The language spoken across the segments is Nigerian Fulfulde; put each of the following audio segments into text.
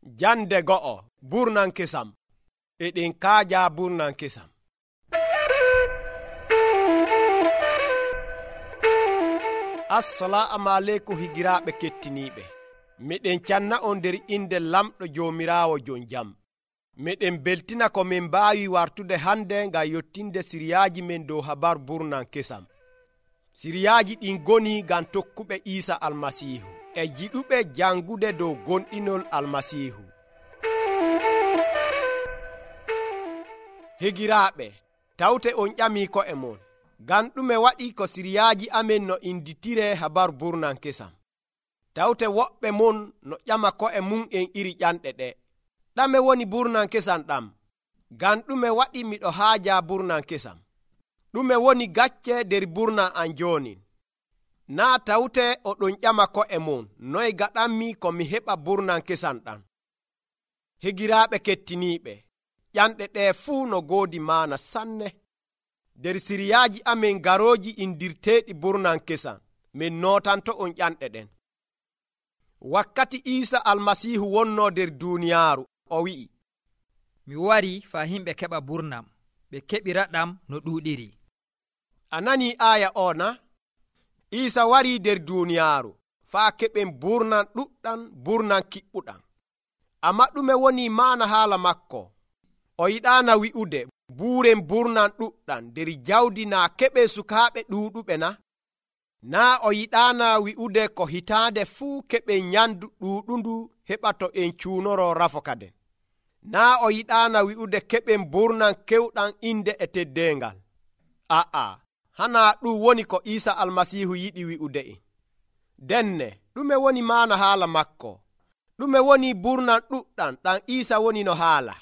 Jande go'o burnan kesam. Eɗen kaaja burnan kesam. Assalamu aleykum higiraaɓe kettiniiɓe. Miɗen canna on nder inde lamɗo Joomiraawo jon jam. Miɗen beltina ko min mbaawi wartude hande ngam yottinde siriyaaji men dow habar burnan kesam. Siriyaaji ɗin goni ngam tokkuɓe Iisa Almasiihu e jiɗuɓe jangude dow gonɗinol Almasiihu. Higiraaɓe, tawte on ƴamii ko'e mon, ngam ɗume waɗi ko siriyaaji amen no inditire habar burnan kesam. Tawte woɓɓe mon no ƴama ko'e mum en iri ƴanɗe ɗe. Ɗame woni burnan kesam ɗam? Ngam ɗume waɗi miɗo haaja burnan kesam? Ɗume woni gacce nder burnan an joonin? Naa tawte oɗon ƴama ko'e mon, noy gaɗanmi ko mi heɓa burnan kesam ɗam? Higiraaɓe kettiniiɓe, ƴanɗe ɗe fuu no goodi maana sanne. Nder siriyaaji amen garooji indirteeɗi burnan kesam, min nootanto on ƴanɗe ɗen. Wakkati Iisa Almasiihu wonnoo nder duuniyaaru, o wi'i, mi wari faa himɓe keɓa burnam, ɓe keɓiraɗam no ɗuuɗiri. A nanii aaya o na? Iisa warii nder duuniyaaru faa keɓen burnan ɗuɗɗam, burnan kiɓɓuɗam. Amma ɗume woni maana haala makko? O yiɗaana wi'ude buuren burnan ɗuɗɗam nder jawdi naa keɓe sukaaɓe ɗuuɗuɓe na? Naa o yiɗaana wi'ude ko hitaande fuu keɓen nyamdu ɗuuɗundu heɓa to en cuunoro rafokaden. Naa o yiɗaana wi'ude keɓen burnan kewɗam inde e teddeengal. Hanaa ɗum woni ko Iisa Almasiihu yiɗi wi'ude en. Denne, ɗume woni maana haala makko? Ɗume woni burnan ɗuɗɗam ɗam Iisa woni no haala?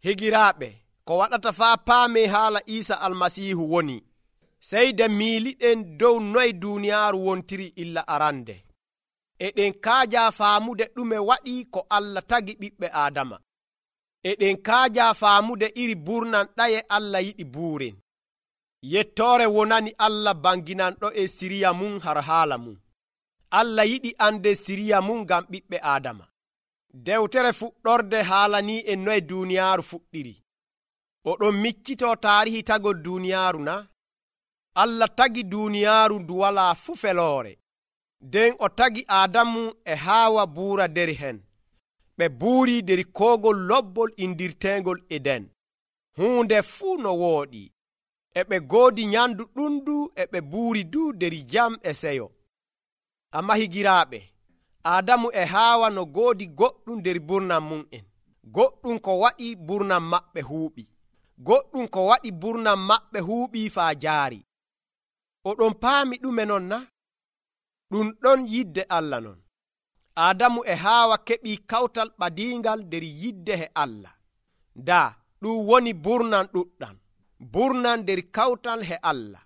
Higiraaɓe, ko waɗata faa paamee haala Iisa Almasiihu woni seyde miiliɗen dow noy duuniyaaru wontiri illa arande. Eɗen kaaja faamude ɗume waɗi ko Allah tagi ɓiɓɓe Aadama. Eɗen kaaja faamude iri burnan ɗaye Allah yiɗi buuren. Yettoore wonani Allah banginanɗo e siriya mum har haala mum. Allah yiɗi ande siriya mum ngam ɓiɓɓe Aadama. Dewtere fuɗɗorde haalanii en noye duuniyaaru fuɗɗiri. Oɗon miccitoo taarihi tagol duuniyaaru na? Allah tagi duuniyaaru ndu walaa fu feloore. Nden o tagi Aadamu e Haawa buura nder hen. Ɓe buurii nder koogol lobbol indirteengol Eden. Huunde fuu no wooɗi. E ɓe goodi nyamdu ɗundu e ɓe buuri du nder jam e seyo. Amma higiraaɓe, Aadamu e Haawa no goodi goɗɗum nder burnan mum en. Goɗɗum ko waɗi burnan maɓɓe huuɓi. Goɗɗum ko waɗi burnan maɓɓe huuɓi faa jaari. Oɗon paami ɗume non na? Ɗum ɗon yidde Allah non. Aadamu e Haawa keɓii kawtal ɓadiingal nder yidde he Allah. Daa, ɗum woni burnan ɗuɗɗam. Burnan nder kawtal he Allah.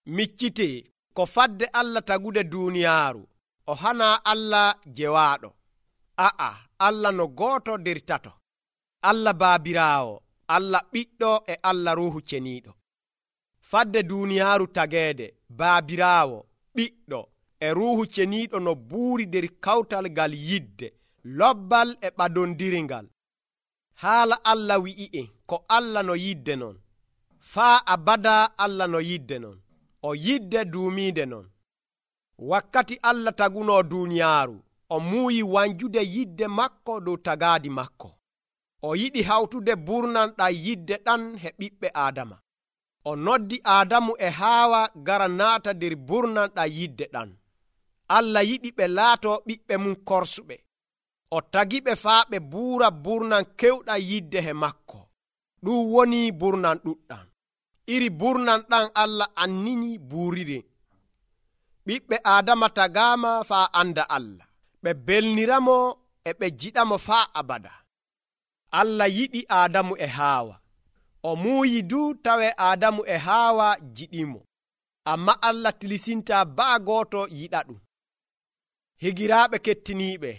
Miccitee ko fadde Allah tagude duuniyaaru. O hanaa Allah jewaaɗo. Allah no gooto nder tato. Allah Baabiraawo, Allah Ɓiɗɗo e Allah Ruuhu Ceniiɗo. Fadde duuniyaaru tageede, Baabiraawo, Ɓiɗɗo e Ruuhu Ceniiɗo no buuri nder kawtal ngal yidde, lobbal e ɓadondiringal. Haala Allah wi'i'en ko Allah no yidde non. Faa abada Allah no yidde non. O yidde duumiinde non. Wakkati Allah tagunoo duuniyaaru, o muuyi wanjude yidde makko dow tagaadi makko. O yiɗi hawtude burnan ɗam yidde ɗan he ɓiɓɓe Aadama. O noddi Aadamu e Haawa gara naata nder burnan ɗam yidde ɗan. Allah yiɗi ɓe laatoo ɓiɓɓe mum korsuɓe. O tagiɓe faa ɓe buura burnan kewɗam yidde he makko. Ɗum woni burnan ɗuɗɗam. Iri burnan ɗan Allah annini buuriren. Ɓiɓɓe Aadama tagaama faa anda Allah. Ɓe belniramo e ɓe jiɗamo faa abada. Allah yiɗi Aadamu e Haawa. O muuyi du tawe Aadamu e Haawa jiɗimo. Amma Allah tilisintaa baa gooto yiɗa ɗum. Higiraaɓe kettiniiɓe,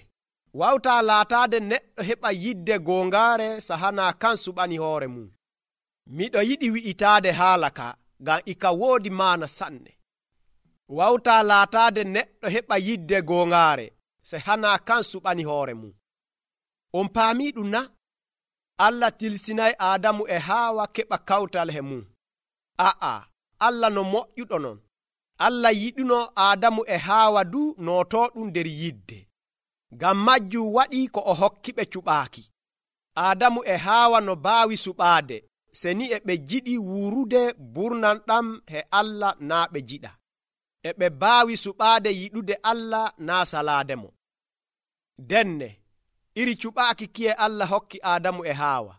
wawtaa laataade neɗɗo heɓa yidde goongaare sahanaa kan suɓani hoore mum. Miɗo yiɗi wi'itaade haala ka ngam ika woodi maana sanne. Wawtaa laataade neɗɗo heɓa yidde goongaare sahanaa kan suɓani hoore mum. On paamii ɗum na? Allah tilsinay Aadamu e Haawa keɓa kawtal he mum. Aa, Allah no moƴƴuɗo non. Allah yiɗuno Aadamu e Haawa du nootooɗum nder yidde. Ngam majjum waɗii ko o hokkiɓe cuɓaaki. Aadamu e Haawa no baawi suɓaade, seni e ɓe jiɗi wuurude burnan ɗam he Allah naa ɓe jiɗa. E ɓe baawi suɓaade yiɗude Allah naa salaademo. Denne, iri cuɓaaki kiye Allah hokki Aadamu e Haawa.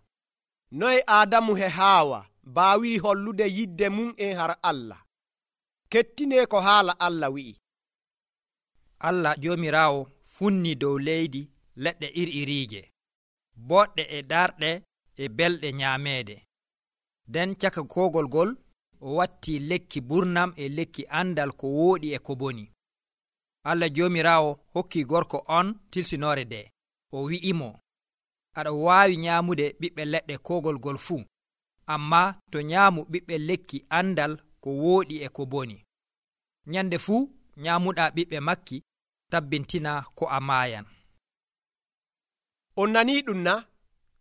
Noye Aadamu e Haawa baawiri hollude yidde mum har Allah? Kettinee ko haala Allah wi'i. Allah Joomiraawo funni dow leydi leɗɗe iri-iriije, boɗɗe e darɗe e belɗe nyaameede. Nden caka koogol ngol o watti lekki burnam e lekki andal ko wooɗi e ko boni. Allah Joomiraawo hokki gorko on tilsinoore nde. O wi'imo, aɗa waawi nyaamude ɓiɓɓe leɗɗe koogol ngol fuu, amma to nyaamu ɓiɓɓe lekki andal ko wooɗi e ko boni. Nyande fuu nyaamuɗaa ɓiɓɓe makki, tabbintina ko a maayan. On nanii ɗum na?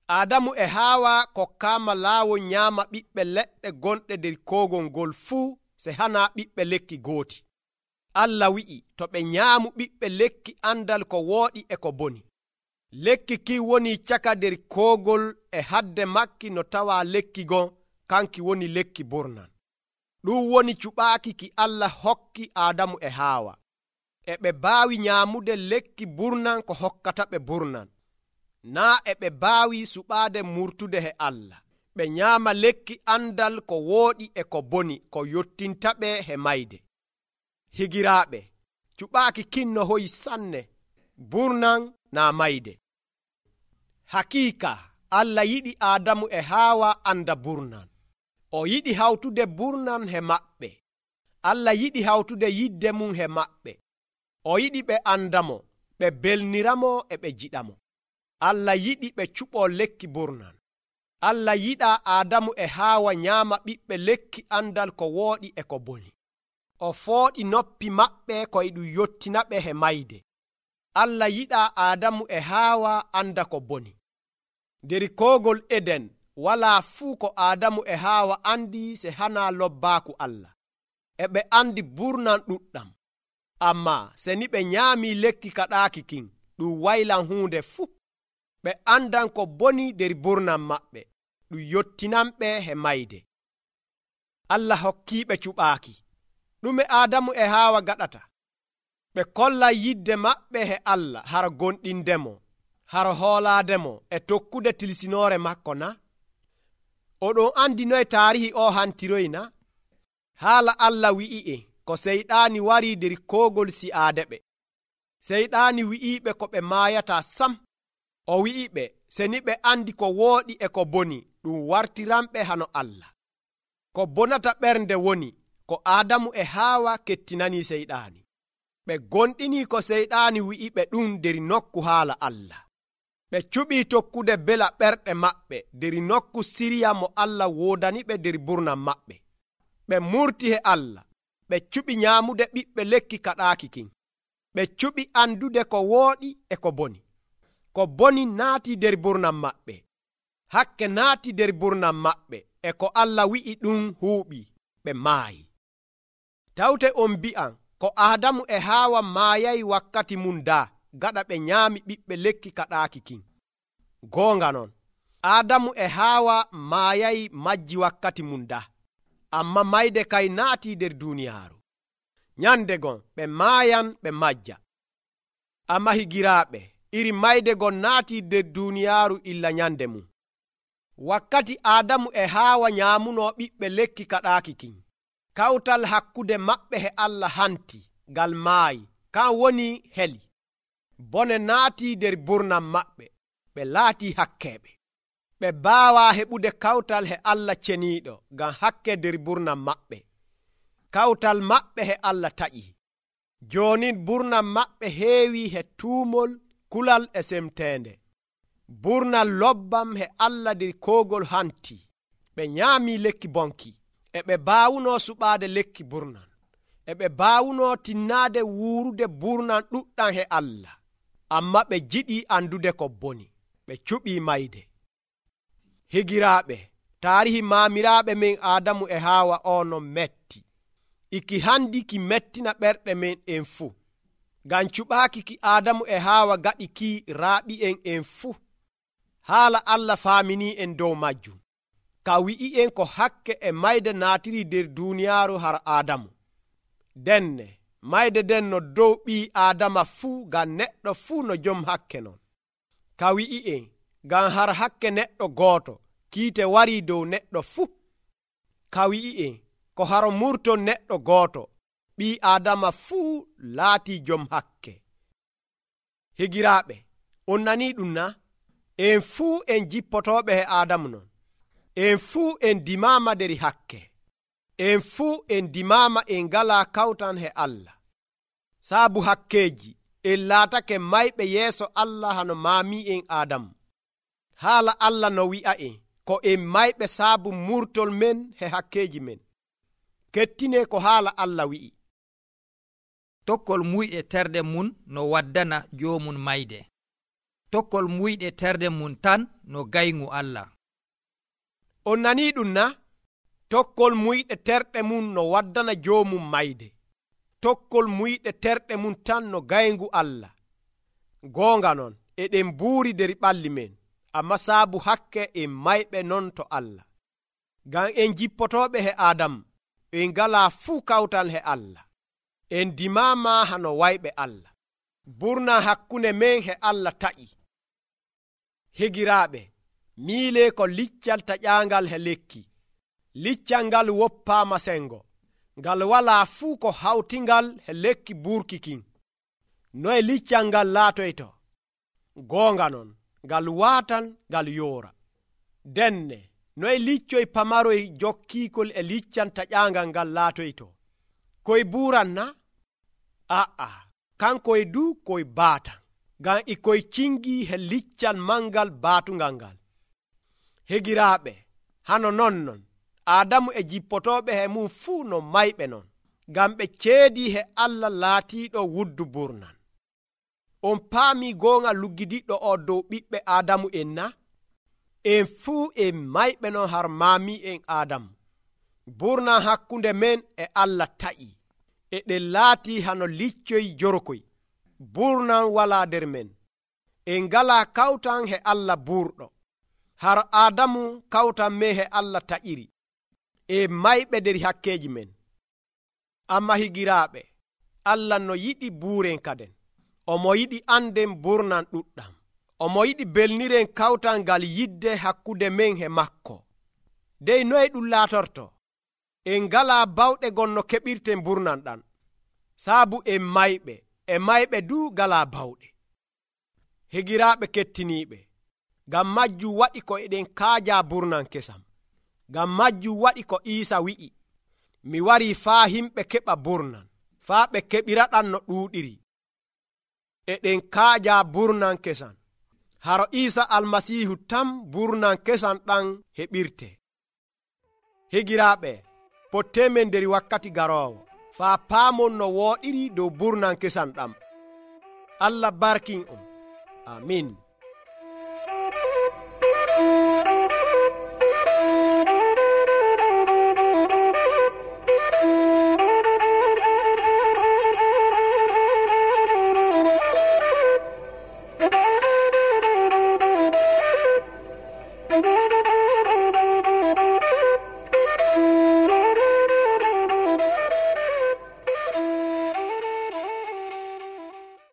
Aadamu e Haawa kokkaama laawol nyaama ɓiɓɓe leɗɗe gonɗe nder koogol ngol fuu se hana ɓiɓɓe lekki gooti. Allah wi'i to ɓe nyaamu ɓiɓɓe lekki andal ko wooɗi e ko boni. Lekki ki woni caka nder koogol e hadde makki no tawa lekki gon kanki woni lekki burnan. Ɗum woni cuɓaaki ki Allah hokki Aadamu e Haawa. E ɓe baawi nyaamude lekki burnan ko hokkata ɓe burnan. Naa e ɓe baawi suɓaade murtude he Allah. Ɓe nyaama lekki andal ko wooɗi e ko boni ko yottinta ɓe he mayde. Higiraaɓe, cuɓaaki kinno hoyi sanne, burnan naa mayde. Hakiika, Allah yiɗi Aadamu e Haawa anda burnan. O yiɗi hawtude burnan he maɓɓe. Allah yiɗi hawtude yidde mum he maɓɓe. O yiɗi ɓe andamo, ɓe belniramo e ɓe jiɗamo. Allah yiɗi ɓe cuɓoo lekki burnan. Allah yiɗaa Aadamu e Haawa nyaama ɓiɓɓe lekki andal ko wooɗi e ko boni. O fooɗi noppi maɓɓe koye ɗum yottina ɓe he mayde. Allah yiɗaa Aadamu e Haawa anda ko boni. Nder koogol Eden walaa fuu ko Aadamu e Haawa andi se hana lobbaaku Allah. E ɓe andi burnan ɗuɗɗam. Amma se ni ɓe nyaamii lekki kaɗaaki kin, ɗum waylan huunde fuu. Ɓe andan ko boni nder burnan maɓɓe, ɗum yottinanɓe he mayde. Allah hokkiiɓe cuɓaaki. Ɗume Aadamu e Haawa gaɗata? Ɓe kollan yidde maɓɓe he Allah hara gonɗindemo, hara hoolaademo e tokkude tilsinoore makko na? Oɗon andi noye taarihi o hantiroyi na? Haala Allah wi'i'e ko seyɗaani warii nder koogol si'aade ɓe. Seyɗaani wi'iiɓe ko ɓe maayataa sam. O wi'iɓe se ni ɓe andi ko wooɗi e ko boni ɗum wartiranɓe hano Allah. Ko bonata ɓernde woni ko Aadamu e Haawa kettinanii seyɗaani. Ɓe gonɗinii ko seyɗaani wi'iɓe ɗum nder nokku haala Allah. Ɓe cuɓii tokkude bela ɓerɗe maɓɓe nder nokku siriya mo Allah woodaniɓe nder burnan maɓɓe. Ɓe murti he Allah. Ɓe cuɓi nyaamude ɓiɓɓe lekki kaɗaaki kin. Ɓe cuɓi andude ko wooɗi e ko boni. Ko boni naati nder burnan maɓɓe. Hakke naati nder burnan maɓɓe e ko Allah wi'i ɗum huuɓii. Ɓe maayi. Tawte on mbi'an ko Aadamu e Haawa maayayi wakkati mum daa gaɗa ɓe nyaami ɓiɓɓe lekki kaɗaaki kin. Goonga non, Aadamu e Haawa maayayi majji wakkati mum daa. Amma mayde kay naati nder duuniyaaru. Nyande gon ɓe maayan ɓe majja. Amma higiraaɓe, iri mayde gon naati nder duuniyaaru illa nyande mum. Wakkati Aadamu e Haawa nyaamunoo ɓiɓɓe lekki kaɗaaki kin, kawtal hakkude maɓɓe he Allah hanti ngal maayi, kan woni heli. Bone naati nder burnan maɓɓe, ɓe laatii hakkeeɓe. Ɓe baawaa heɓude kawtal he Allah ceniiɗo ngam hakke nder burnan maɓɓe. Kawtal maɓɓe he Allah taƴii. Joonin burnan maɓɓe heewii he tuumol, kulal e semteende. Burnal lobbam he Allah nder koogol hanti. Ɓe nyaamii lekki bonki. E ɓe baawunoo suɓaade lekki burnan. E ɓe baawunoo tinnaade wuurude burnan ɗuɗɗam he Allah. Amma ɓe jiɗii andude ko boni. Ɓe ɓe cuɓii mayde. Higiraaɓe, taarihi maamiraaɓe men Aadamu e Haawa ono metti. Iki handi ki mettina ɓerɗe men en fuu. Ngam cuɓaaki ki Aadamu e Haawa gaɗi ki raaɓi'en fuu. Haala Allah faaminii en dow majjum. Ka wi'i'en ko hakke e mayde naatiri nder duuniyaaru har Aadamu. Denne mayde den no dow ɓii Aadama fuu ngam neɗɗo fuu no jom hakke non. Ka wi'i'en ngam har hakke neɗɗo gooto kiite warii dow neɗɗo fuu. Ka wi'i'en ko haro murton neɗɗo gooto ɓii Aadama fuu laatii jom hakke. Higiraaɓe, on nanii ɗum na? En fuu en jippotooɓe he Aadamu non. En fuu en dimaama nder hakke. En fuu en dimaama en ngalaa kawtan he Allah. Saabu hakkeeji en laatake mayɓe yeeso Allah hano maami'en Aadamu. Haala Allah no wi'a'en ko en mayɓe saabu murtol men he hakkeeji men. Kettinee ko haala Allah wi'i. Tokkol muyɗe terɗe mum no waddana joomum mayde. Tokkol muyɗe terɗe mum tan no gayngu Allah. On nanii ɗum na? Tokkol muyɗe terɗe mum no waddana joomum mayde. Tokkol muyɗe terɗe mum tan no gayngu Allah. Goonga non, eɗen buuri nder ɓalli men, amma saabu hakke en mayɓe non to Allah. Ngam en jippotooɓe he Aadamu, en ngalaa fuu kawtal he Allah. En dimaama hano wayɓe Allah. Burna hakkunde men he Allah ta'i. Higiraaɓe, miilee ko liccal taƴaangal he lekki. Liccal ngal woppaama sengo. Ngal walaa fuu ko hawtingal he lekki burkikin. Noye liccal ngal laatoyto? Goonga non, ngal waatan ngal yoora. Denne, noye liccoy pamaroy jokkiikol e liccal taƴaangal ngal laatoyto? Koye buuran na? A'a, kankoye du koye baatan. Ngam e koye cingii he liccal mangal baatungal ngal. Higiraaɓe, hano non, Aadamu e jippotooɓe he mum fuu no mayɓe non, ngam ɓe ceedii he Allah laatiiɗo wuddu burnan. On paamii goonga luggidiɗɗo o dow ɓiɓɓe Aadamu en na? En fuu en mayɓe non har maami'en Aadamu. Burnan hakkunde men e Allah ta'i. E ɗen laatii hano liccoy jorkoy. Burnan walaa nder men. En ngalaa kawtan he Allah burɗo. Har Aadamu kawtan men he Allah ta'iri. En mayɓe nder hakkeeji men. Amma higiraaɓe, Allah no yiɗi buuren kaden. Omo yiɗi anden burnan ɗuɗɗam. Omo yiɗi belniren kawtal ngal yidde hakkunde men he makko. Dey noye ɗum laatorto? En ngalaa bawɗe gonno keɓirten burnan ɗan. Saabu en mayɓe du ngalaa bawɗe. Higiraaɓe kettiniiɓe, ngam majjum waɗi ko eɗen kaajaa burnan kesam. Ngam majjum waɗi ko Iisa wi'i, mi warii faa himɓe keɓa burnan, faa ɓe keɓiraɗan no ɗuuɗiri. Eɗen kaajaa burnan kesan. Haro Iisa Almasiihu tan burnan kesan ɗan heɓirte. Higiraaɓe, potteemen nder wakkati garoowo, faa paamon no wooɗiri dow burnan kesan ɗam. Allah barkin on. Amin.